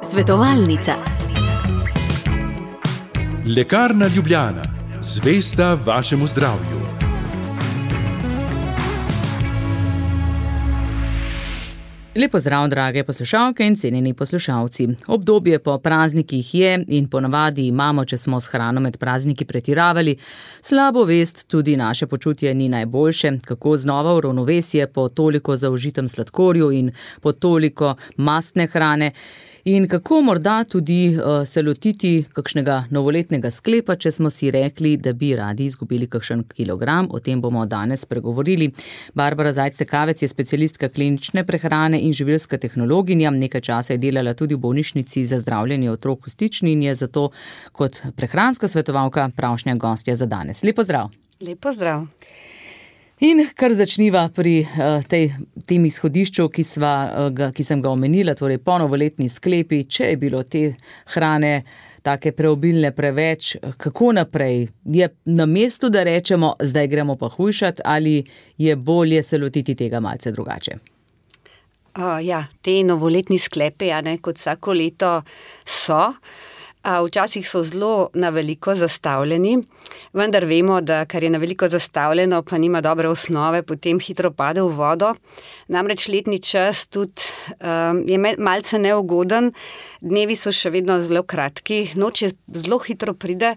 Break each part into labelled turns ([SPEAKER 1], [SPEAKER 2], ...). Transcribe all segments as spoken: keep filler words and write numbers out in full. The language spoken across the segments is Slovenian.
[SPEAKER 1] Svetovalnica.
[SPEAKER 2] Lekarna Ljubljana, zvesta vašemu zdravju.
[SPEAKER 3] Lep pozdrav, drage poslušalke in cenjeni poslušalci. Obdobje po praznikih je in ponavadi imamo, če smo s hrano med prazniki pretiravali, slabo vest, tudi naše počutje ni najboljše, kako znova v ravnovesje po toliko zaužitem sladkorju in po toliko mastne hrane. In kako morda tudi uh, se lotiti kakšnega novoletnega sklepa, če smo si rekli, da bi radi izgubili kakšen kilogram. O tem bomo danes pregovorili. Barbara Zajc-Cekavec je specialistka klinične prehrane in živilska tehnologinja. Nekaj časa je delala tudi v bolnišnici za zdravljenje otrok v Stični in je zato kot prehranska svetovalka pravšnja gostja za danes. Lep pozdrav.
[SPEAKER 4] Lep pozdrav.
[SPEAKER 3] In kar začniva pri uh, tej, tem izhodišču, ki, sva, uh, ga, ki sem ga omenila, torej ponovoletni sklepi, če je bilo te hrane take preobilne preveč, kako naprej? Je na mestu, da rečemo, zdaj gremo pa hujšati, ali je bolje se lotiti tega malce drugače?
[SPEAKER 4] Uh, ja, te novoletni sklepi, ja, ne, kot vsako leto so. Včasih so zelo na veliko zastavljeni, vendar vemo, da kar je na veliko zastavljeno, pa nima dobre osnove, potem hitro pade v vodo. Namreč letni čas tudi um, je malce neugoden, dnevi so še vedno zelo kratki, noč je zelo hitro pride,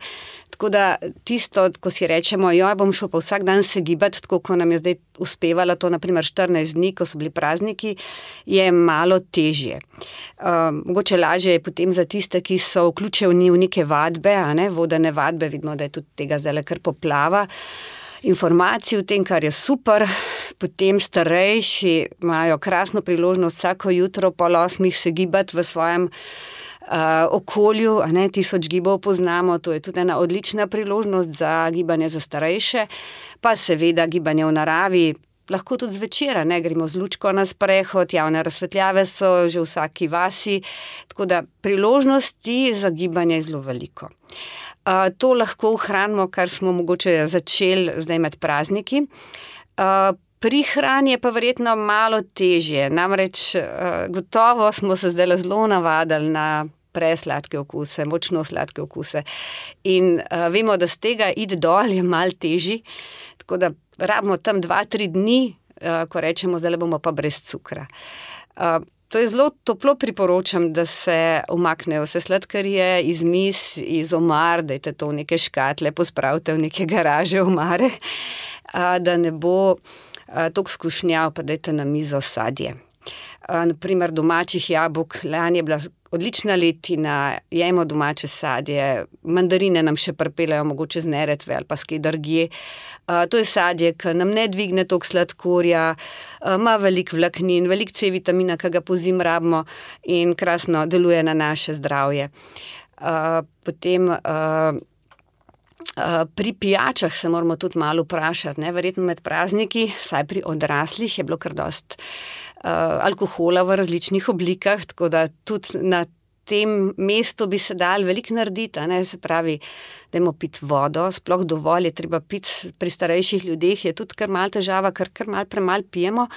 [SPEAKER 4] tako da tisto, ko si rečemo, joj, bom šel pa vsak dan se gibati, tako ko nam je zdaj uspevalo to, naprimer štirinajst dni, ko so bili prazniki, je malo težje. Um, mogoče lažje je potem za tiste, ki so vključeni v neke vadbe, a ne, vodene vadbe, vidimo, da je tudi tega zdaj kar poplava. Informacij o tem, kar je super, potem starejši imajo krasno priložnost vsako jutro pol osmih se gibati v svojem Uh, okolju, a ne, tisoč gibov poznamo, to je tudi ena odlična priložnost za gibanje za starejše, pa seveda gibanje v naravi, lahko tudi zvečer, ne, gremo z lučko na sprehod, javne razsvetljave so že v vsaki vasi, tako da priložnosti za gibanje je zelo veliko. Uh, to lahko ohranimo, kar smo mogoče začeli zdaj med prazniki. Uh, Pri hrani je pa verjetno malo težje, namreč uh, gotovo smo se zdaj zelo navadili na presladke okuse, močno sladke okuse in uh, vemo, da z tega iti dol je malo težji, tako da rabimo tam dva, tri dni, uh, ko rečemo, zdaj bomo pa brez cukra. Uh, To je zelo toplo priporočam, da se umaknejo vse sladkarije iz miz, iz omar, dajte to v neke škatle, pospravite v neke garaže omare, uh, da ne bo toliko skušnjav, pa dajte na mizo sadje. Naprimer domačih jabolk, lani je bila odlična letina, jemo domače sadje, mandarine nam še pripeljejo mogoče z Neretve ali pa s kje drugje. To je sadje, ki nam ne dvigne toliko sladkorja, ima veliko vlaknin, veliko C vitamina, ki ga pozimi rabimo in krasno deluje na naše zdravje. Potem pri pijačah se moramo tudi malo vprašati, ne? Verjetno med prazniki, saj pri odraslih je bilo kar dost uh, alkohola v različnih oblikah, tako da tudi na tem mestu bi se dal veliko narediti, ne? Se pravi, dajmo piti vodo, sploh dovolj je treba piti, pri starejših ljudeh je tudi kar malo težava, ker kar malo premalo pijemo,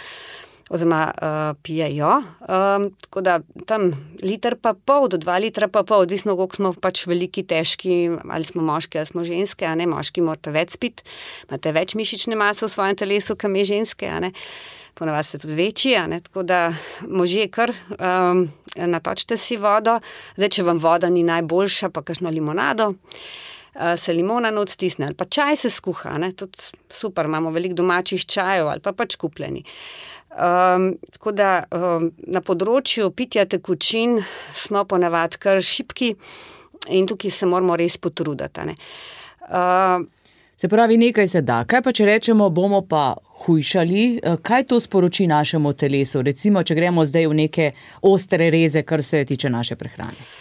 [SPEAKER 4] oziroma uh, pijejo, um, tako da tam liter pa pol, do dva litra pa pol, odvisno, koliko smo pač veliki, težki, ali smo moški, ali smo ženske, a ne, moški morate več spiti, imate več mišične mase v svojem telesu, kam je ženske, a ne, ponavadi ste tudi večji, a ne, tako da možje kar um, natočite si vodo, zdaj, če vam voda ni najboljša, pa kakšno limonado, uh, se limona not stisne, ali pa čaj se skuha, ne, tudi super, imamo veliko domačih čajev, ali pa pač kupljeni. Um, tako da um, na področju pitja tekočin smo ponavadi kar šibki in tukaj se moramo res potruditi. Ne? Uh,
[SPEAKER 3] se pravi, nekaj se da. Kaj pa, če rečemo, bomo pa hujšali, kaj to sporoči našemu telesu? Recimo, če gremo zdaj v neke ostre reze, kar se tiče naše prehrane.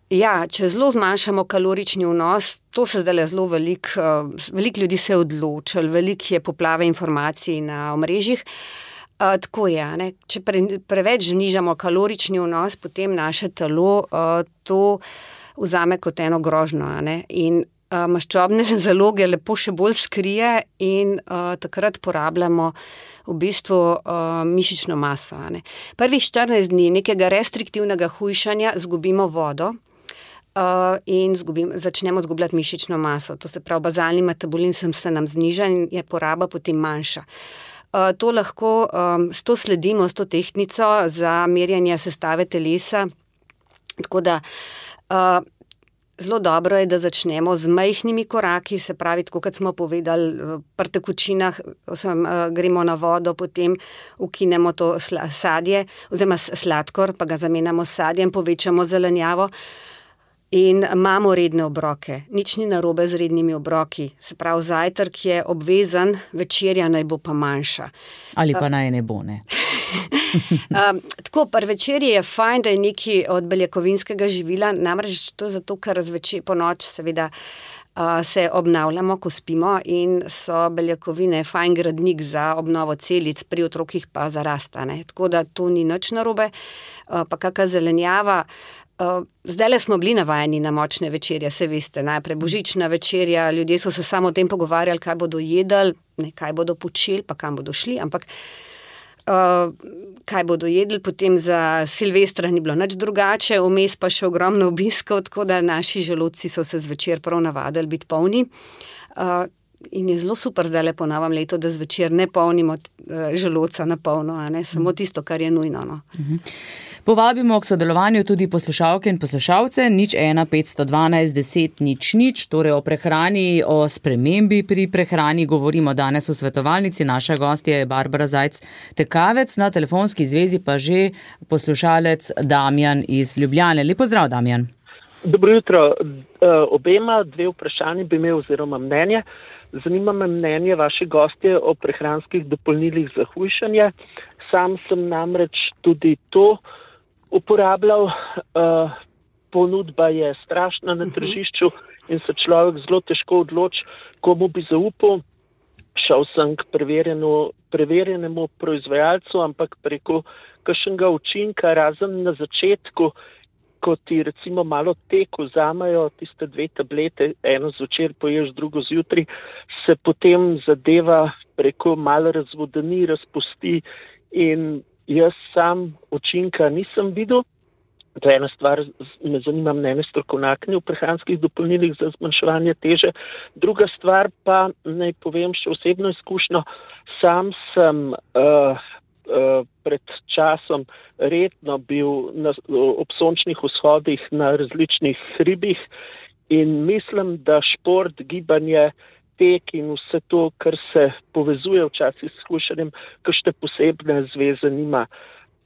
[SPEAKER 4] Ja, če zelo zmanjšamo kalorični vnos, to se zdaj zelo veliko, uh, veliko ljudi se je odločilo, veliko je poplave informacij na omrežjih. Uh, tako je, ne? Če pre, preveč znižamo kalorični vnos, potem naše telo uh, to vzame kot eno grožnjo. Ne? In uh, maščobne zaloge lepo še bolj skrije in uh, takrat porabljamo v bistvu uh, mišično maso. A ne. Prvih štirinajst dni nekega restriktivnega hujšanja zgubimo vodo uh, in zgubim, začnemo zgubljati mišično maso. To se pravi, bazalni metabolizem se nam zniža in je poraba potem manjša. Uh, to lahko, um, s to sledimo, s to tehtnico za merjanje sestave telesa. Tako da uh, zelo dobro je, da začnemo z majhnimi koraki, se pravi, tako kot smo povedali, pri tekočinah osem, uh, gremo na vodo, potem ukinemo to sla, sadje, oziroma sladkor, pa ga zamenjamo s sadjem, povečamo zelenjavo. In imamo redne obroke. Nič ni narobe z rednimi obroki. Se pravi, zajtrk je obvezen, večerja naj bo pa manjša.
[SPEAKER 3] Ali pa naj ne bo, ne?
[SPEAKER 4] um, tako, pri večerji je fajn, da je nekaj od beljakovinskega živila, namreč to zato, ker zvečer po noč seveda uh, se obnavljamo, ko spimo in so beljakovine fajn gradnik za obnovo celic, pri otrokih pa za rast, ne? Tako da to ni nič narobe. Uh, pa kakšna zelenjava. Uh, zdajle smo bili navajeni na močne večerje, se veste, najprej božična večerja, ljudje so se samo o tem pogovarjali, kaj bodo jedli, ne, kaj bodo počeli, pa kam bodo šli, ampak uh, kaj bodo jedli, potem za Silvestra ni bilo nič drugače, vmes pa še ogromno obiskov, tako da naši želodci so se zvečer prav navadili biti polni. Uh, in je zelo super zdajle po novem letu, da zvečer ne polnimo uh, želodca na polno, a ne, samo tisto, kar je nujno. No.
[SPEAKER 3] Povabimo k sodelovanju tudi poslušalke in poslušalce, nič ena petsto dvanajst deset nič nič, torej o prehrani, o spremembi pri prehrani govorimo danes v svetovalnici. Naša gostja je Barbara Zajc-Tekavec, na telefonski zvezi pa že poslušalec Damjan iz Ljubljane. Lep pozdrav, Damjan.
[SPEAKER 5] Dobro jutro. Obema dve vprašanji bi imel oziroma mnenje. Zanima me mnenje vaše gostje o prehranskih dopolnilih za hujšanje. Sam sem namreč tudi to uporabljal. Uh, ponudba je strašna na tržišču in se človek zelo težko odloči, komu bi zaupal. Šel sem k preverjenemu proizvajalcu, ampak preko kakšnega učinka, razen na začetku, ko ti recimo malo tek vzamajo tiste dve tablete, eno zvečer poješ, drugo zjutraj, se potem zadeva preko malo razvodeni, razpusti in jaz sam učinka nisem videl. To je ena stvar, me zanima mnenje strokovnjakinje v prehranskih dopolnilih za zmanjševanje teže. Druga stvar pa, naj povem še osebno izkušnjo, sam sem uh, uh, pred časom redno bil na, ob sončnih vzhodih na različnih hribih in mislim, da šport, gibanje, tek in vse to, kar se povezuje včasih s hujšanjem, kakšne posebne zveze nima.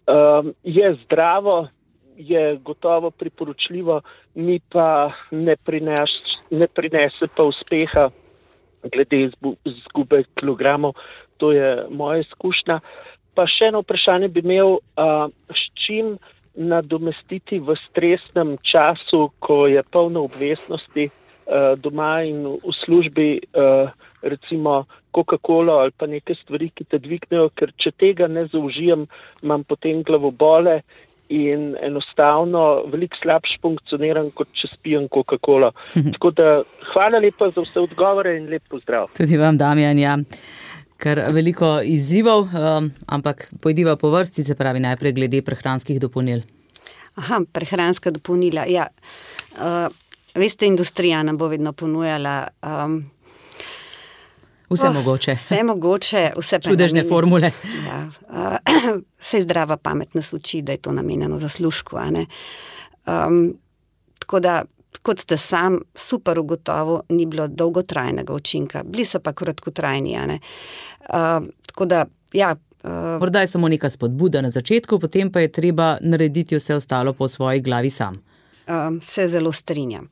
[SPEAKER 5] Um, je zdravo, je gotovo priporočljivo, mi pa ne, prines, ne prinese pa uspeha glede izgube kilogramov. To je moja izkušnja. Pa še eno vprašanje bi imel, uh, s čim nadomestiti v stresnem času, ko je polno obveznosti uh, doma in v službi, uh, recimo Coca-Cola ali pa neke stvari, ki te dvignejo, ker če tega ne zaužijem, imam potem glavobole in enostavno veliko slabše funkcioniram, kot če spijem Coca-Cola. Tako da hvala lepa za vse odgovore in lep pozdrav.
[SPEAKER 3] Tudi vam, Damjan, ja. Ker veliko izzivov, um, ampak pojdiva po vrsti, se pravi najprej glede prehranskih dopolnil.
[SPEAKER 4] Aha, prehranska dopolnila, ja. Uh, veste, industrija nam bo vedno ponujala um,
[SPEAKER 3] Vse
[SPEAKER 4] oh,
[SPEAKER 3] mogoče.
[SPEAKER 4] Vse mogoče, vse pa
[SPEAKER 3] čudežne formule.
[SPEAKER 4] Ja, uh, vse zdrava pamet nas uči, da je to namenjeno zaslužku, a ne. Um, tako da, kot ste sam super ugotovil, ni bilo dolgotrajnega učinka. Bili so pa kratkotrajni, a ne. Uh, tako da, ja. Uh,
[SPEAKER 3] Morda je samo neka spodbuda na začetku, potem pa je treba narediti vse ostalo po svoji glavi sam.
[SPEAKER 4] Um, se zelo strinjam.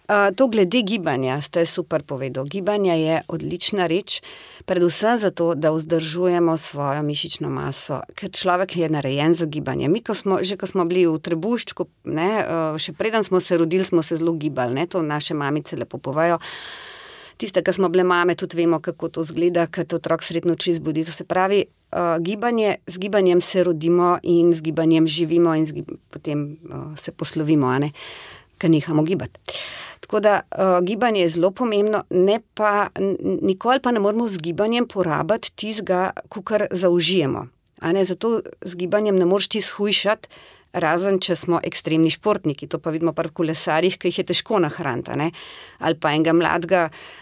[SPEAKER 4] Uh, to glede gibanja ste super povedal. Gibanje je odlična reč, predvsem zato, da vzdržujemo svojo mišično maso, ker človek je narejen za gibanje. Mi, ko smo, že ko smo bili v trebuščku, ne, uh, še preden smo se rodili, smo se zelo gibali, ne, to naše mamice lepo povejo. Tiste, ki smo bile mame, tudi vemo, kako to zgleda, kad otrok sred noči zbudi. To se pravi, uh, gibanje, z gibanjem se rodimo in z gibanjem živimo in z gib- potem uh, se poslovimo, a ne, ker nehamo gibati. Tako da uh, gibanje je zelo pomembno, ne pa, nikoli pa ne moramo z gibanjem porabiti tistega, kakor zaužijemo. A ne, zato z gibanjem ne moreš ti shujšati, razen če smo ekstremni športniki, to pa vidimo pri kolesarjih, ki jih je težko nahraniti, ne? Ali pa enega mladega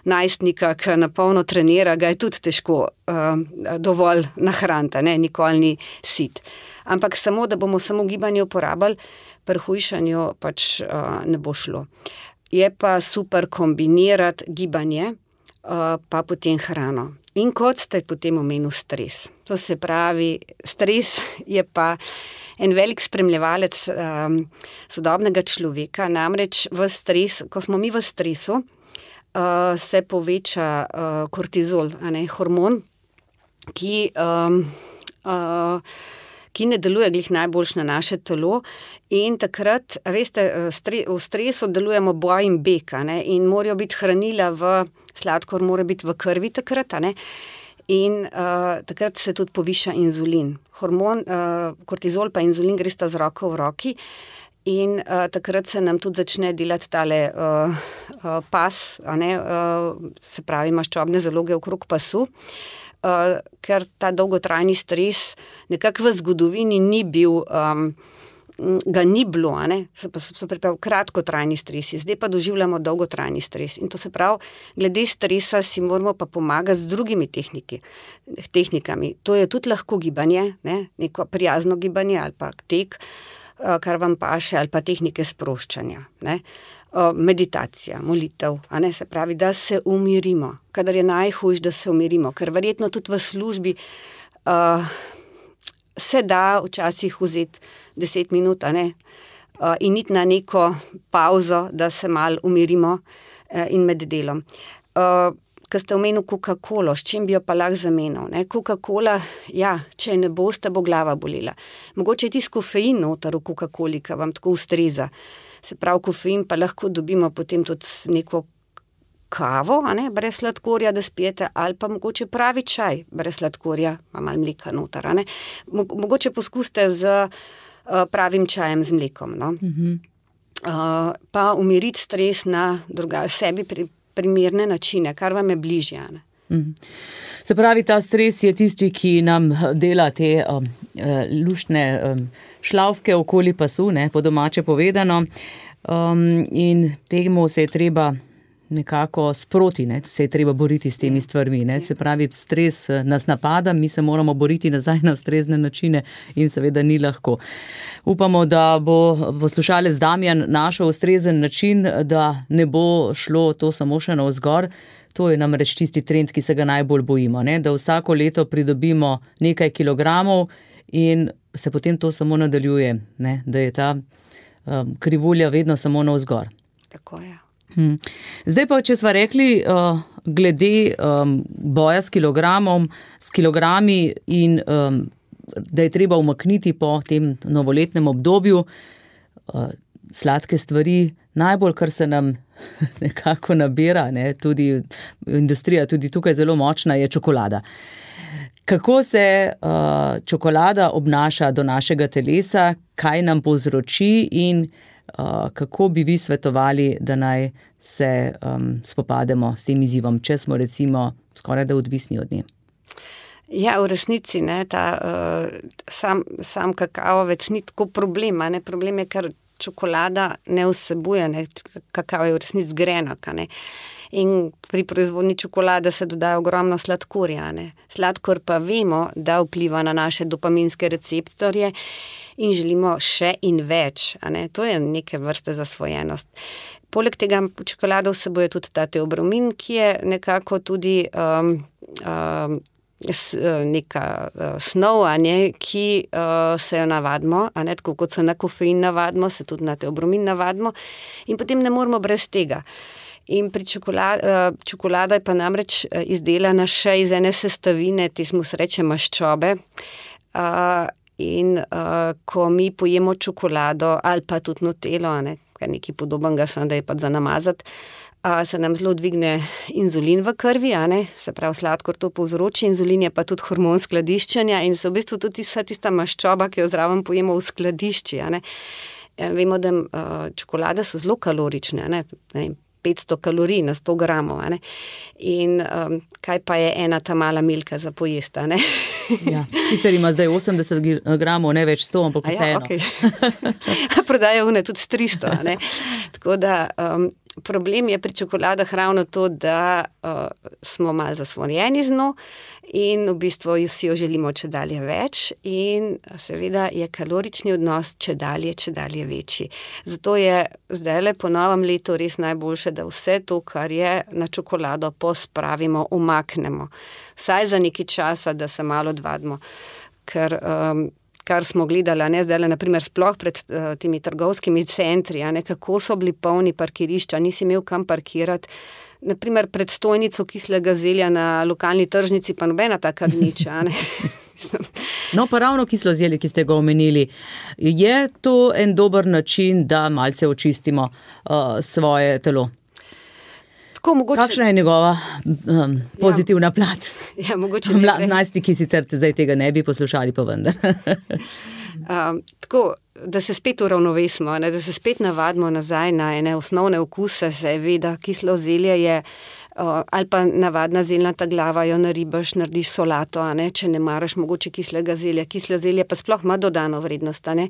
[SPEAKER 4] najstnika, ki na polno trenira, ga je tudi težko uh, dovolj nahraniti, ne? Nikoli ni sit. Ampak samo, da bomo samo gibanje uporabljali, pri hujšanju pač uh, ne bo šlo. Je pa super kombinirati gibanje, uh, pa potem hrano. In kot ste potem omenil stres. To se pravi, stres je pa en velik spremljevalec um, sodobnega človeka, namreč v stres, ko smo mi v stresu, uh, se poveča uh, kortizol, a ne, hormon, ki, um, uh, ki ne deluje glih najboljš na naše telo in takrat, a veste, stre, v stresu delujemo boj in beg, a ne, in morajo biti hranila v, sladkor mora biti v krvi takrat, a ne, in uh, takrat se tudi poviša inzulin. Hormon, uh, kortizol pa inzulin gresta z roko v roki in uh, takrat se nam tudi začne delati tale uh, uh, pas, a ne, uh, se pravi maščobne zaloge okrog pasu, uh, ker ta dolgotrajni stres nekako v zgodovini ni bil, um, ga ni bilo, a ne, so, so priprav kratkotrajni stresi, zdaj pa doživljamo dolgotrajni stres. In to se pravi, glede stresa si moramo pa pomagati z drugimi tehniki, tehnikami. To je tudi lahko gibanje, ne, neko prijazno gibanje ali pa tek, kar vam paše, ali pa tehnike sproščanja, ne. Meditacija, molitev, a ne, se pravi, da se umirimo, kadar je najhujš, da se umirimo, ker verjetno tudi v službi uh, se da včasih vzeti deset minut, a ne, uh, in iti na neko pauzo, da se malo umirimo uh, in med delom. Uh, Ko ste omenil Coca-Colo, s čim bi jo pa lahko zamenil, ne, Coca-Cola, ja, če ne boste, bo glava bolela. Mogoče je tisti kofein noter v Coca-Coli, ki vam tako ustreza. Se pravi, kofein pa lahko dobimo potem tudi neko kavo, a ne, brez sladkorja, da spijete, ali pa mogoče pravi čaj, brez sladkorja, pa malo mleka noter, a ne. Mogoče poskusite z uh, pravim čajem z mlekom, no. Mm-hmm. Uh, pa umiriti stres na druga, sebi pri, primerne načine, kar vam je bližje, a ne.
[SPEAKER 3] Mm-hmm. Se pravi, ta stres je tisti, ki nam dela te um, luštne um, šlavke okoli pasu, ne, po domače povedano, um, in temu se je treba nekako sproti, ne, se je treba boriti s temi stvarmi, ne, se pravi, stres nas napada, mi se moramo boriti nazaj na ustrezne načine in seveda ni lahko. Upamo, da bo poslušalec Damjan našel ustrezen način, da ne bo šlo to samo še navzgor. To je namreč tisti trend, ki se ga najbolj bojimo, ne, da vsako leto pridobimo nekaj kilogramov in se potem to samo nadaljuje, ne, da je ta um, krivulja vedno samo navzgor.
[SPEAKER 4] Tako je.
[SPEAKER 3] Hmm. Zdaj pa, če sva rekli uh, glede um, boja s kilogramom, s kilogrami in um, da je treba umakniti po tem novoletnem obdobju uh, sladke stvari, najbolj, kar se nam nekako nabira, ne, tudi industrija, tudi tukaj zelo močna, je čokolada. Kako se uh, čokolada obnaša do našega telesa, kaj nam povzroči in Uh, kako bi vi svetovali, da naj se um, spopademo s tem izzivom, če smo recimo skoraj da odvisni od nje?
[SPEAKER 4] Ja, v resnici, ne, ta uh, sam, sam kakavovec ni tako problema, ne, problem je, ker čokolada ne vsebuje, ne, kakao je v resnici grenak, ne. In pri proizvodnji čokolade se dodaja ogromno sladkorja, ne. Sladkor pa vemo, da vpliva na naše dopaminske receptorje in želimo še in več, a ne. To je neke vrste zasvojenost. Poleg tega čokolada vsebuje tudi ta teobromin, ki je nekako tudi um, um, neka uh, snov, a ne, ki uh, se jo navadimo, a ne, tako kot se na kofein navadimo, se tudi na teobromin navadimo in potem ne moramo brez tega. In pri čokolada, čokolada je pa namreč izdelana še iz ene sestavine, ti smo se reče maščobe. In ko mi pojemo čokolado ali pa tudi nutelo, ne, kar nekaj podobnega, samo da je pa za namazati, se nam zelo dvigne inzulin v krvi, a ne, se pravi sladkor to povzroči, inzulin je pa tudi hormon skladiščenja in se v bistvu tudi tista, tista maščoba, ki jo zraven pojemo v skladišči, a ne. Vemo, da čokolade so zelo kalorične, ne, petsto kalorij na sto gramov. A ne? In um, kaj pa je ena ta mala milka za pojesti? A ne?
[SPEAKER 3] Ja, sicer ima zdaj osemdeset gramov, ne več sto, ampak vseeno.
[SPEAKER 4] Ja, okay. Prodaja une tudi s tristo. A ne? Tako da um, problem je pri čokoladah ravno to, da uh, smo malo zasvojeni z njo in v bistvu vsi jo želimo če dalje več in seveda je kalorični odnos če dalje, če dalje večji. Zato je zdajle po novem letu res najboljše, da vse to, kar je na čokolado, pospravimo, umaknemo. Vsaj za nekaj časa, da se malo odvadimo, ker um, kar smo gledali, ne, zdaj, naprimer, sploh pred uh, temi trgovskimi centri, a ne, kako so bili polni parkirišča, nisi imel kam parkirati. Naprimer, pred stojnico kislega zelja na lokalni tržnici, pa nobena taka gniča, ne.
[SPEAKER 3] No, pa ravno kislo zelje, ki ste ga omenili, je to en dober način, da malce očistimo uh, svoje telo? Mogoče... Kakšna je njegova um, pozitivna ja, plat?
[SPEAKER 4] Ja, mogoče
[SPEAKER 3] Mla, najstniki sicer zdaj tega ne bi poslušali, pa vendar.
[SPEAKER 4] um, tako, da se spet uravnovesimo, ne, da se spet navadimo nazaj na ene osnovne okuse, seveda kislo zelje je uh, ali pa navadna zeljnata glava, jo naribaš, narediš solato, a ne, če ne maraš mogoče kislega zelja. Kislo zelje pa sploh ima dodano vrednost, a ne.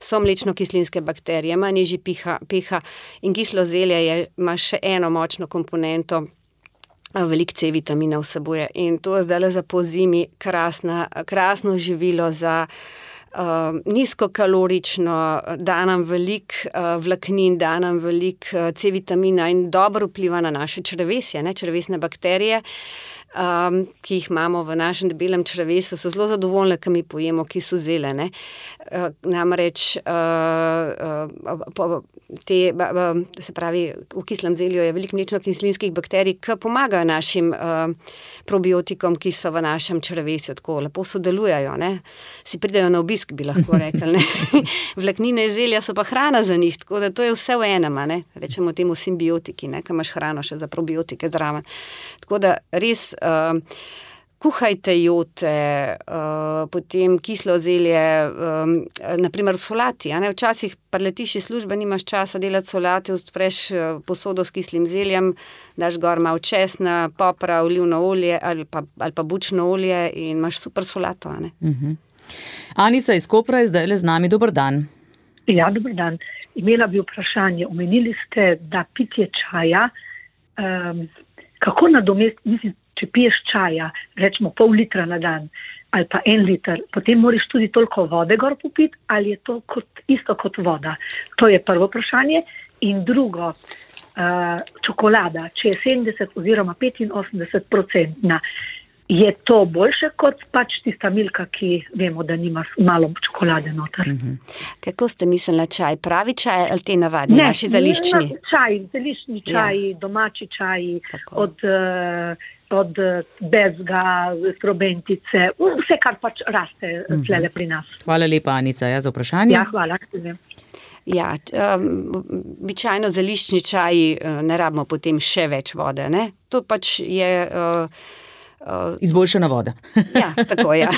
[SPEAKER 4] So mlečno-kislinske bakterije, ima nižji pH in kislo zelje je, ima še eno močno komponento, veliko C vitamina vsebuje in to je zdaj za pozimi krasna, krasno živilo za Uh, nizkokalorično, da nam veliko uh, vlaknin, da nam veliko uh, C vitamina in dobro vpliva na naše črevesje, ne, črevesne bakterije, um, ki jih imamo v našem debelem črevesu, so zelo zadovoljne, ko mi pojemo kiso zelje, ne. Uh, namreč uh, uh, po, te, uh, se pravi, v kislem zelju je veliko mlečno-kislinskih bakterij, ki pomagajo našim uh, probiotikom, ki so v našem črevesju, tako lepo sodelujajo, ne. Si pridejo na obisk, bi lahko rekli, ne. Vlaknine iz zelja so pa hrana za njih, tako da to je vse v enem, ne. Rečemo temu simbiotiki, ne, ko imaš hrano še za probiotike zraven. Tako da res uh, kuhajte jote, uh, potem kislo zelje, um, naprimer v solati, a ne, včasih preletiš iz službe, nimaš časa delati solate, odpreš posodo s kislim zeljem, daš gor malo česna, popra, olivno olje ali pa, ali pa bučno olje in imaš super solato, a ne.
[SPEAKER 3] Uh-huh. Anica iz Kopra je zdaj le z nami, dober dan.
[SPEAKER 6] Ja, dober dan. Imela bi vprašanje, omenili ste, da pitje čaja, um, kako nadomest, mislim, če piješ čaja, rečemo pol litra na dan ali pa en liter, potem moraš tudi toliko vode gor popiti, ali je to kot, isto kot voda? To je prvo vprašanje. In drugo, uh, čokolada, če je sedemdeset oziroma petinosemdeset procentna, je to boljše kot pač tista milka, ki vemo, da nima malo čokolade noter.
[SPEAKER 4] Mm-hmm. Kako ste mislili na čaj? Pravi čaj ali te navadni,
[SPEAKER 6] ne,
[SPEAKER 4] naši zeliščni?
[SPEAKER 6] Ne, čaj, zeliščni čaj, ja. Domači čaj, od, od bezga, strobentice, vse, kar pač raste mm-hmm. tlele pri nas.
[SPEAKER 3] Hvala lepa, Anica, ja, za vprašanje.
[SPEAKER 6] Ja, hvala.
[SPEAKER 4] Ja, um, običajno zeliščni čaj ne rabimo potem še več vode, ne? To pač je... Uh,
[SPEAKER 3] Uh, Izboljšana voda.
[SPEAKER 4] Ja, tako, ja.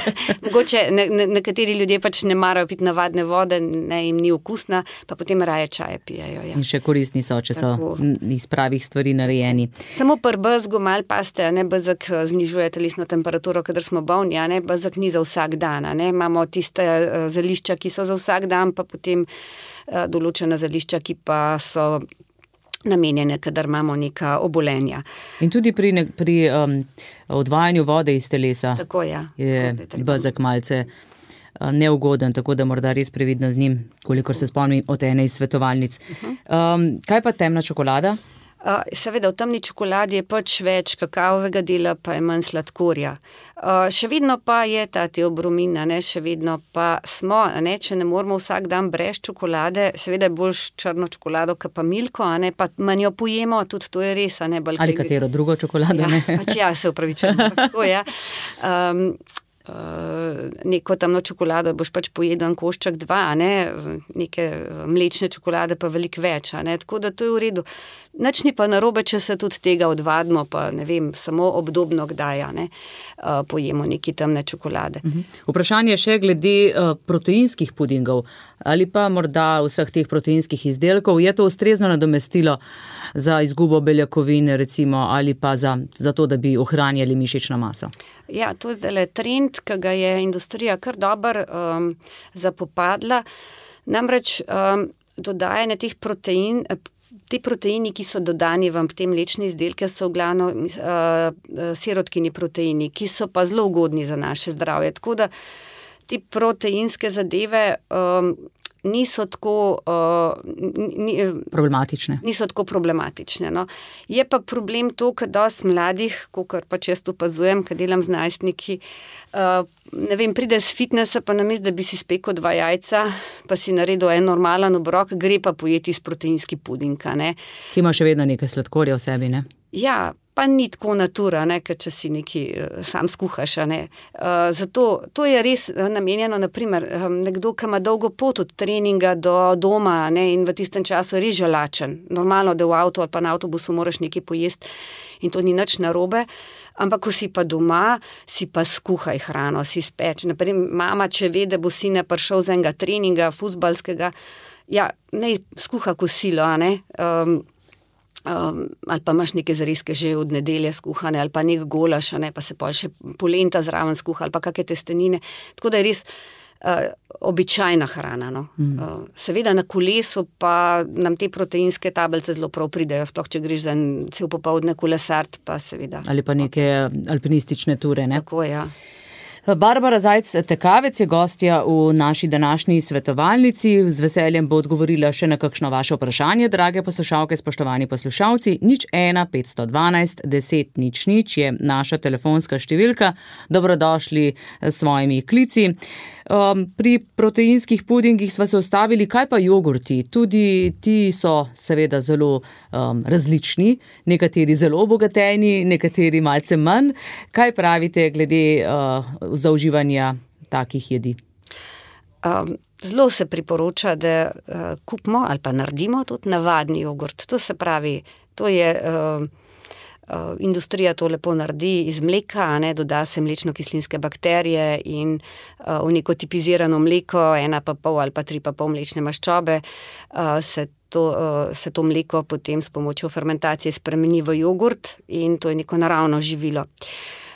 [SPEAKER 4] Mogoče ne, ne, nekateri ljudje pač ne marajo piti navadne vode, ne jim ni okusna, pa potem raje čaje pijejo. Ja.
[SPEAKER 3] In še koristni so, če tako. So iz pravih stvari narejeni.
[SPEAKER 4] Samo pri bezgu malo paste, ne, bezeg znižuje telesno temperaturo, kadar smo bolni, a ne, bezeg ni za vsak dan, a ne, imamo tiste uh, zelišča, ki so za vsak dan, pa potem uh, določena zelišča, ki pa so namenjene, kadar imamo neka obolenja.
[SPEAKER 3] In tudi pri, ne, pri um, odvajanju vode iz telesa
[SPEAKER 4] tako, ja.
[SPEAKER 3] je bezeg malce uh, neugoden, tako da morda res previdno z njim, kolikor se spomnim od ene iz svetovalnic. Uh-huh. Um, kaj pa temna čokolada?
[SPEAKER 4] Uh, seveda, v temni čokoladi je pač več kakavovega dela, pa je manj sladkorja. Uh, še vedno pa je ta teobromin, ne, še vedno pa smo, ne, če ne moramo vsak dan brez čokolade, seveda je bolj črno čokolado, ka pa milko, a ne, pa manj jo pojemo, tudi to je res, a ne. Balkaj...
[SPEAKER 3] Ali katero drugo čokolado,
[SPEAKER 4] ja,
[SPEAKER 3] ne?
[SPEAKER 4] Pač ja, se upravičujem, tako, ja. Um, Uh, neko temno čokolado boš pač pojedel en košček dva, ne? Neke mlečne čokolade pa veliko več, a ne? Tako da to je v redu. Nič ni pa narobe, če se tudi tega odvadimo, pa ne vem, samo obdobno kdaj, ne, pojemo neki temne čokolade.
[SPEAKER 3] Uh-huh. Vprašanje še glede uh, proteinskih pudingov ali pa morda vseh teh proteinskih izdelkov. Je to ustrezno nadomestilo za izgubo beljakovin, recimo, ali pa za, za to, da bi ohranjali mišično maso?
[SPEAKER 4] Ja, to je zdaj trend, ki ga je industrija kar dobro um, zapopadla. Namreč um, dodajanje teh protein, Ti proteini, ki so dodani v te mlečne izdelke, so v glavnem uh, sirotkini proteini, ki so pa zelo ugodni za naše zdravje. Tako da ti proteinske zadeve um, niso tako uh, ni,
[SPEAKER 3] problematične.
[SPEAKER 4] Niso tako problematične. No. Je pa problem to, kad dosti mladih, kakor pa često opazujem, kad delam z najstniki, uh, ne vem, pride z fitnesa, pa namesto, da bi si spekel dva jajca, pa si naredil en normalen obrok, gre pa pojeti iz proteinski puding, ne.
[SPEAKER 3] Ki ima še vedno nekaj sladkorja v sebi, ne?
[SPEAKER 4] Ja, pa ni tako natura, ne, ker če si neki sam skuhaš, ne. Uh, zato to je res namenjeno, naprimer, nekdo, ki ima dolgo pot od treninga do doma, ne, in v tistem času je res žalačen. Normalno, da v avtu ali pa na avtobusu moraš nekaj pojesti in to ni nič narobe, ampak ko si pa doma, si pa skuhaj hrano, si speč. Naprimer, mama, če ve, da bo sine prišel z enega treninga, fuzbalskega, ja, ne skuha kosilo, a ne, um, Um, ali pa imaš neke zrezke že od nedelje skuhane, ali pa nek golaš, ne, pa se pol še polenta zraven skuha, ali pa kakšne testenine. Tako da je res uh, običajna hrana. No. Mm. Uh, seveda na kolesu pa nam te proteinske tablice zelo prav pridejo, sploh če greš za en cel popoldne kolesart, pa seveda.
[SPEAKER 3] Ali pa neke alpinistične ture, ne?
[SPEAKER 4] Tako, ja.
[SPEAKER 3] Barbara Zajc-Tekavec je gostja v naši današnji svetovalnici. Z veseljem bo odgovorila še na kakšno vaše vprašanje, drage poslušalke, spoštovani poslušalci. Nič ena petsto dvanajst deset nič nič je naša telefonska številka. Dobrodošli s svojimi klici. Um, pri proteinskih pudingih sva se ustavili, kaj pa jogurti? Tudi ti so seveda zelo um, različni, nekateri zelo obogateni, nekateri malce manj. Kaj pravite glede uh, zauživanja takih jedi?
[SPEAKER 4] Um, zelo se priporoča, da uh, kupimo ali pa naredimo tudi navadni jogurt. To se pravi, to je... Uh, Uh, industrija to lepo naredi iz mleka, ne, doda se mlečno-kislinske bakterije in uh, v neko tipizirano mleko, ena pa pol ali pa tri pa pol mlečne maščobe, uh, se, to, uh, se to mleko potem s pomočjo fermentacije spremeni v jogurt in to je neko naravno živilo.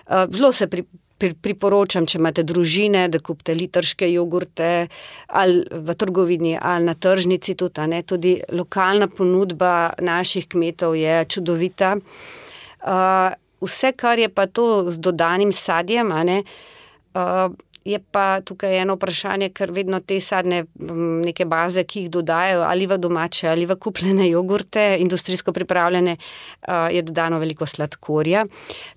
[SPEAKER 4] Uh, zelo se pri, pri, priporočam, če imate družine, da kupite litrške jogurte ali v trgovini ali na tržnici tudi, ne, tudi lokalna ponudba naših kmetov je čudovita. Uh, vse, kar je pa to z dodanim sadjem, a ne, uh, je pa tukaj eno vprašanje, ker vedno te sadne m, neke baze, ki jih dodajajo ali v domače ali v kupljene jogurte, industrijsko pripravljene, uh, je dodano veliko sladkorja.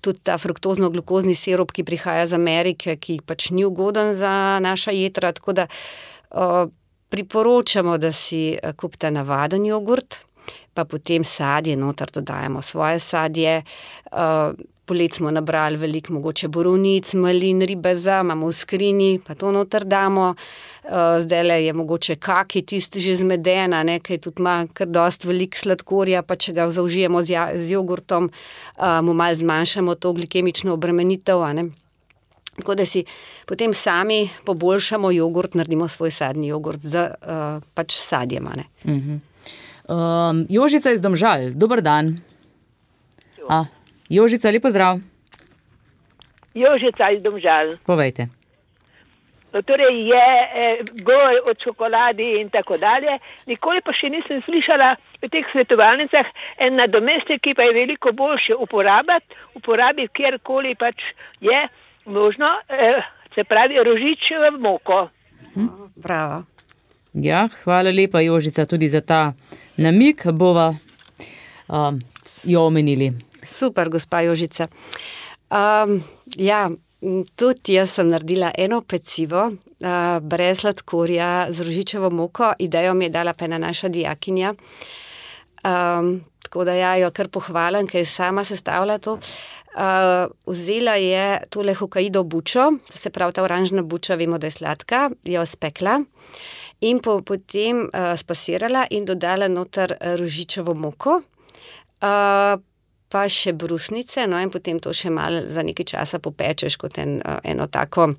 [SPEAKER 4] Tudi ta fruktozno-glukozni sirup, ki prihaja iz Amerike, ki pač ni ugoden za naša jetra, tako da uh, priporočamo, da si kupite navaden jogurt, pa potem sadje, noter dodajamo svoje sadje. Uh, polet smo nabrali veliko mogoče borovnic, malin, ribeza, imamo v skrini, pa to noter damo. Uh, zdajle je mogoče kaki tisti že zmedena, ne, kaj tudi ima kar dosti veliko sladkorja, pa če ga zaužijemo z, ja, z jogurtom, uh, mu malo zmanjšamo to glikemično obremenitev, a ne. Tako da si potem sami poboljšamo jogurt, naredimo svoj sadni jogurt z uh, pač sadjem, a ne.
[SPEAKER 3] Mhm. Um, Jožica iz Domžal, dober dan. A, Jožica, lepo zdrav.
[SPEAKER 7] Jožica iz Domžal.
[SPEAKER 3] Povejte.
[SPEAKER 7] No, torej je eh, govor o čokoladi in tako dalje. Nikoli pa še nisem slišala v teh svetovalnicah en nadomestek, ki pa je veliko boljše uporabiti, uporabiti kjerkoli pač je možno, eh, se pravi rožičevo moko.
[SPEAKER 4] Hm? Bravo.
[SPEAKER 3] Ja, hvala lepa, Jožica, tudi za ta namik, bova um, jo omenili.
[SPEAKER 4] Super, gospa Jožica. Um, ja, tudi jaz sem naredila eno pecivo uh, brez sladkorja z rožičevo moko. Idejo mi je dala pa ena naša dijakinja. Um, tako da ja, jo kar pohvalim, ker je sama sestavila to. Uh, vzela je tole Hokkaido bučo, to se pravi ta oranžna buča, vemo, da je sladka, jo spekla. In po, potem uh, spasirala in dodala noter rožičevo moko. Uh, pa še brusnice, no in potem to še malo za nekaj časa popečeš kot en, eno tako,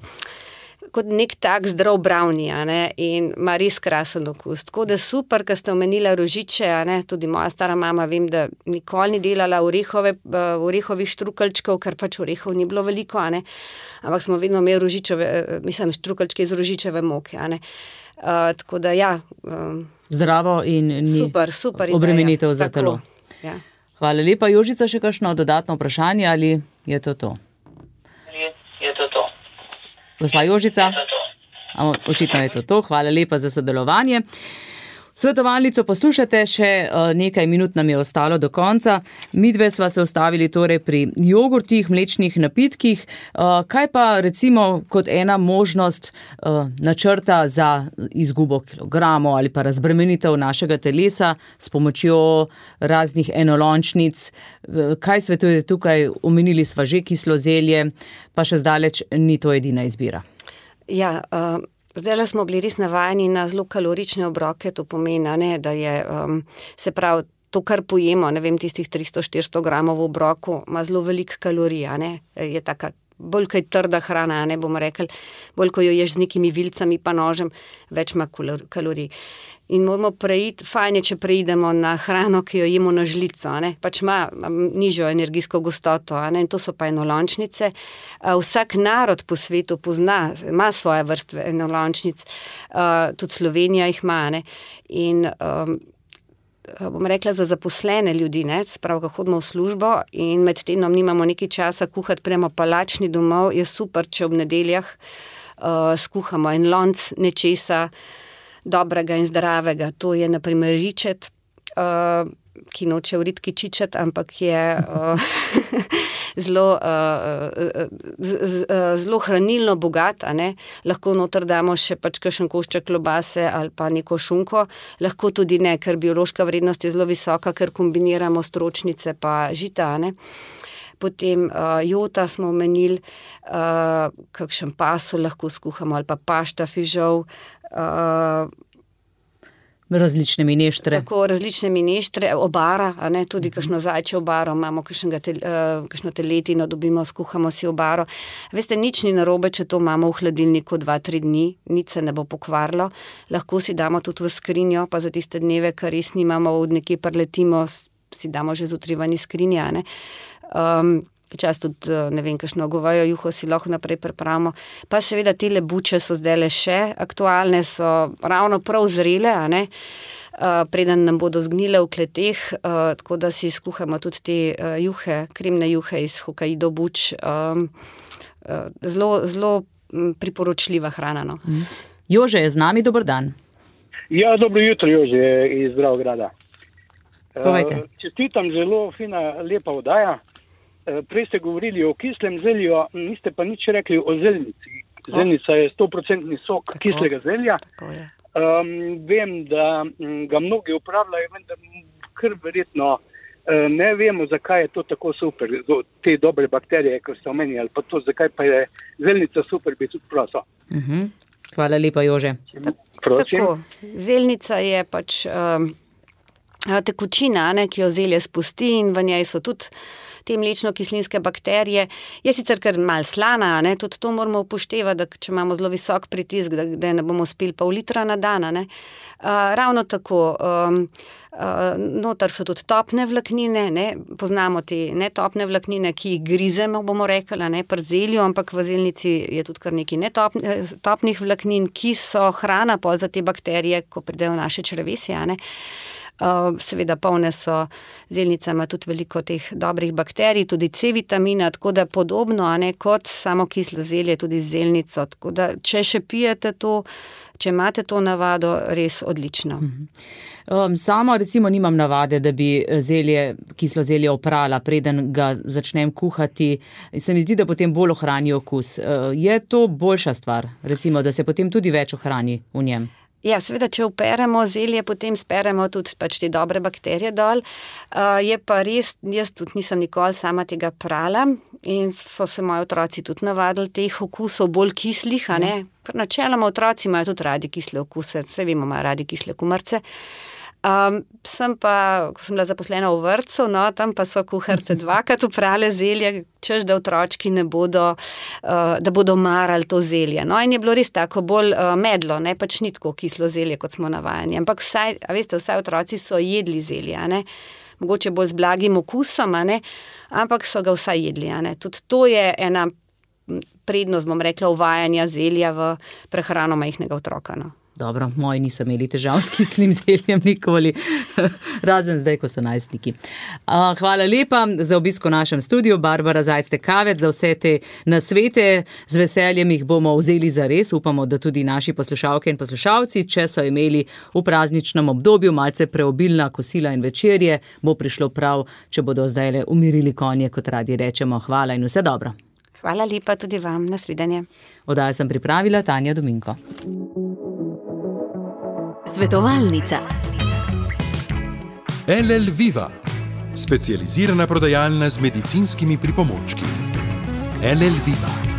[SPEAKER 4] kot nek tak zdrav brownie, a ne, in ima res krasen okus. Tako da super, ker ste omenila rožiče, a ne, tudi moja stara mama, vem, da nikoli ni delala orehove, orehovih štrukeljčkov, ker pač orehov ni bilo veliko, a ne, ampak smo vedno imeli rožičeve, mislim, štrukeljčke iz rožičeve moke, a ne. Uh, tako da ja. Um,
[SPEAKER 3] Zdravo in ni
[SPEAKER 4] super, super
[SPEAKER 3] obremenitev za
[SPEAKER 4] tako,
[SPEAKER 3] telo.
[SPEAKER 4] Ja.
[SPEAKER 3] Hvala lepa. Jožica, še kakšno dodatno vprašanje ali je to to?
[SPEAKER 8] Je, je to to.
[SPEAKER 3] Gospa Jožica?
[SPEAKER 8] Je to to.
[SPEAKER 3] A, očitno je to to. Hvala lepa za sodelovanje. Svetovalnico poslušate, še nekaj minut nam je ostalo do konca. Midve sva se ustavili torej pri jogurtih, mlečnih napitkih. Kaj pa recimo kot ena možnost načrta za izgubo kilogramov ali pa razbremenitev našega telesa s pomočjo raznih enolončnic? Kaj svetujete tukaj? Omenili sva že kislo zelje, pa še zdaleč ni to edina izbira.
[SPEAKER 4] Ja, uh... Zdaj smo bili res navajeni na zelo kalorične obroke, to pomeni, ne, da je, um, se pravi, to, kar pojemo, ne vem, tistih tristo štiristo gramov v obroku, ima zelo veliko kalorij, ne, je taka, bolj kaj trda hrana, ne, bomo rekli, bolj ko jo ješ z nekimi vilcami pa nožem, več ima kalorij. In moramo preiti, fajn je, če preidemo na hrano, ki jo jemo na žlico, ne? Pač ima nižjo energijsko gostoto, ne? In to so pa enolončnice. Vsak narod po svetu pozna, ima svoje vrste enolončnic, tudi Slovenija jih ima, ne? In um, bom rekla za zaposlene ljudi, ne? Sprav, ko hodimo v službo in med tednom nimamo nekaj časa kuhati, premo pa lačni domov, je super, če ob nedeljah uh, skuhamo en lonc nečesa, dobrega in zdravega. To je na primer ričet, uh, ki noče vritki čičet, ampak je uh, zelo, uh, z, z, zelo hranilno bogat, a ne. Lahko noter damo še pač kakšen košček klobase ali pa neko šunko, lahko tudi ne, ker biološka vrednost je zelo visoka, ker kombiniramo stročnice pa žita, a ne. Potem uh, jota smo omenili, uh, kakšen pasulj lahko skuhamo ali pa pašta fižol, Uh,
[SPEAKER 3] različne mineštre.
[SPEAKER 4] Tako, različne mineštre, obara, a ne, tudi uh-huh. kakšno zajče obaro, imamo tel, uh, kakšno teletino, dobimo, skuhamo si obaro. Veste, nič ni narobe, če to imamo v hladilniku dva, tri dni, nič se ne bo pokvarilo. Lahko si damo tudi v skrinjo, pa za tiste dneve, kar res nimamo, od nekje preletimo, si damo že zjutraj ven iz skrinje, a ne. Um, Včas tudi, ne vem, kakšno govejo juho si lahko naprej pripravimo. Pa seveda tele buče so zdajle še aktualne, so ravno prav zrele, a ne, uh, preden nam bodo zgnile v kleteh, uh, tako da si skuhamo tudi te uh, juhe, kremne juhe iz Hokkaido buč. Um, uh, zelo, zelo priporočljiva hrana, no.
[SPEAKER 3] Mm. Jože je z nami, dober dan.
[SPEAKER 9] Ja, dobro jutro, Jože iz Dravograda.
[SPEAKER 3] Povejte.
[SPEAKER 9] Uh, čestitam, zelo fina, lepa oddaja. Prej ste govorili o kislem zelju, niste pa nič rekli o zelnici. Zelnica je sto procentni sok tako, kislega zelja. Um, vem, da ga mnogi uporabljajo, vendar kar verjetno ne vemo, zakaj je to tako super, te dobre bakterije, ko ste omenili, ali pa to, zakaj pa je zelnica super, bi tudi prosil.
[SPEAKER 3] Uh-huh. Hvala lepa, Jože.
[SPEAKER 4] Tako, zelnica je pač um, tekočina, ne, ki jo zelje spusti in v njej so tudi te mlečno-kislinske bakterije. Je sicer kar malo slana, ne, tudi to moramo upoštevati, da če imamo zelo visok pritisk, da, da ne bomo spili pol litra na dan, ne. Uh, ravno tako, um, uh, noter so tudi topne vlaknine, ne, poznamo te netopne vlaknine, ki jih grizemo, bomo rekli, ne, pri zelju, ampak v zelnici je tudi kar nekaj netopnih topnih vlaknin, ki so hrana pol za te bakterije, ko pridejo v naše črevesje, ne. Uh, seveda polne so, zelnica ima tudi veliko teh dobrih bakterij, tudi C vitamina, tako da podobno, a ne, kot samo kislo zelje, tudi z zelnico, tako da če še pijete to, če imate to navado, res odlično.
[SPEAKER 3] Um, sama recimo nimam navade, da bi zelje, kislo zelje oprala, preden ga začnem kuhati. Se mi zdi, da potem bolj ohrani okus. Uh, je to boljša stvar, recimo, da se potem tudi več ohrani v njem?
[SPEAKER 4] Ja, seveda, če operemo zelje, potem speremo tudi pač te dobre bakterije dol. Uh, je pa res, jaz tudi nisem nikoli sama tega prala in so se moji otroci tudi navadili teh okusov bolj kislih, a ne. Ker načeloma otroci imajo tudi radi kisle okuse, vse vemo, imajo radi kisle kumarice. Um, sem pa, ko sem bila zaposlena v vrtcu, no, tam pa so kuharice dvakrat uprale zelje, češ, da otročki ne bodo, uh, da bodo marali to zelje. No, in je bilo res tako bolj uh, medlo, ne, pač ni tako kislo zelje, kot smo navajeni. Ampak vsaj, a veste, vsaj otroci so jedli zelje, a ne. Mogoče bolj z blagim okusom, a ne, ampak so ga vsaj jedli, a ne. Tudi to je ena prednost, bom rekla, uvajanja zelja v prehrano majhnega otroka, no.
[SPEAKER 3] Dobro, moji niso imeli težav s kislim zeljem nikoli, razen zdaj, ko so najstniki. Hvala lepa za obisk v našem studiu, Barbara Zajc-Tekavec, za vse te nasvete. Z veseljem jih bomo vzeli za res. Upamo, da tudi naši poslušalke in poslušalci, če so imeli v prazničnem obdobju malce preobilna kosila in večerje, bo prišlo prav, če bodo zdajle umirili konje, kot radi rečemo. Hvala in vse dobro.
[SPEAKER 4] Hvala lepa tudi vam, nasvidenje.
[SPEAKER 3] Oddajo sem pripravila Tanja Dominko.
[SPEAKER 1] Svetovalnica.
[SPEAKER 2] L L Viva, specializirana prodajalna z medicinskimi pripomočki. L L Viva.